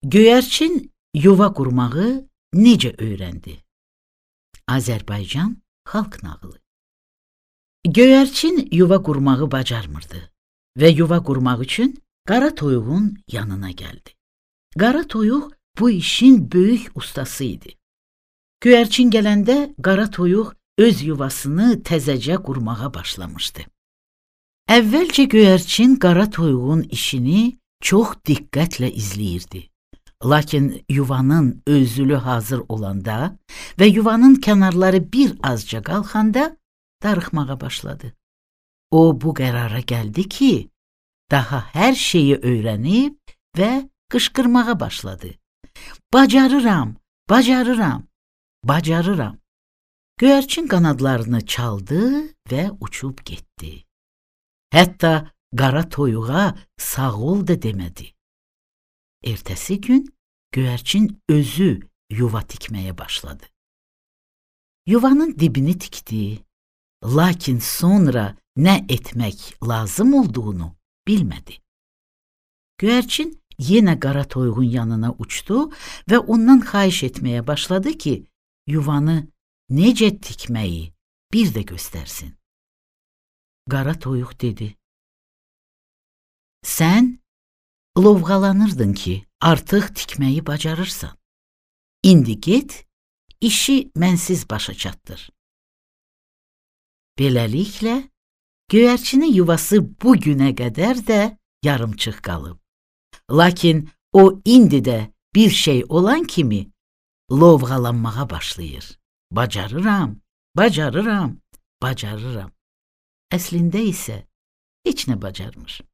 Göyərçin yuva qurmağı necə öyrəndi? Azərbaycan xalq nağılı. Göyərçin yuva qurmağı bacarmırdı və yuva qurmaq üçün qara toyuğun yanına gəldi. Qara toyuq bu işin böyük ustası idi. Göyərçin gələndə qara toyuq öz yuvasını təzəcə qurmağa başlamışdı. Əvvəlcə göyərçin qara toyuğun işini çox diqqətlə izləyirdi. Lakin yuvanın özülü hazır olanda və yuvanın kənarları bir azca qalxanda darıxmağa başladı. O bu qərara gəldi ki, daha hər şeyi öyrənib və qışqırmağa başladı. Bacarıram, bacarıram, bacarıram. Göyərçin qanadlarını çaldı və uçub getdi. Hətta qara toyuğa sağ ol da demədi. Ertəsi gün göyərçin özü yuva tikməyə başladı. Yuvanın dibini tikdi, lakin sonra nə etmək lazım olduğunu bilmədi. Göyərçin yenə qara toyuğun yanına uçdu və ondan xahiş etməyə başladı ki, yuvanı necə tikməyi bir də göstərsin. Qara toyuq dedi: Sən lovğalanırdın ki, artıq tikməyi bacarırsan. İndi get, işi mənsiz başa çatdır. Beləliklə, göyərçinin yuvası bu günə qədər də yarımçıq qalıb. Lakin o indi də bir şey olan kimi lovğalanmağa başlayır. Bacarıram, bacarıram, bacarıram. Əslində isə heç nə bacarmır.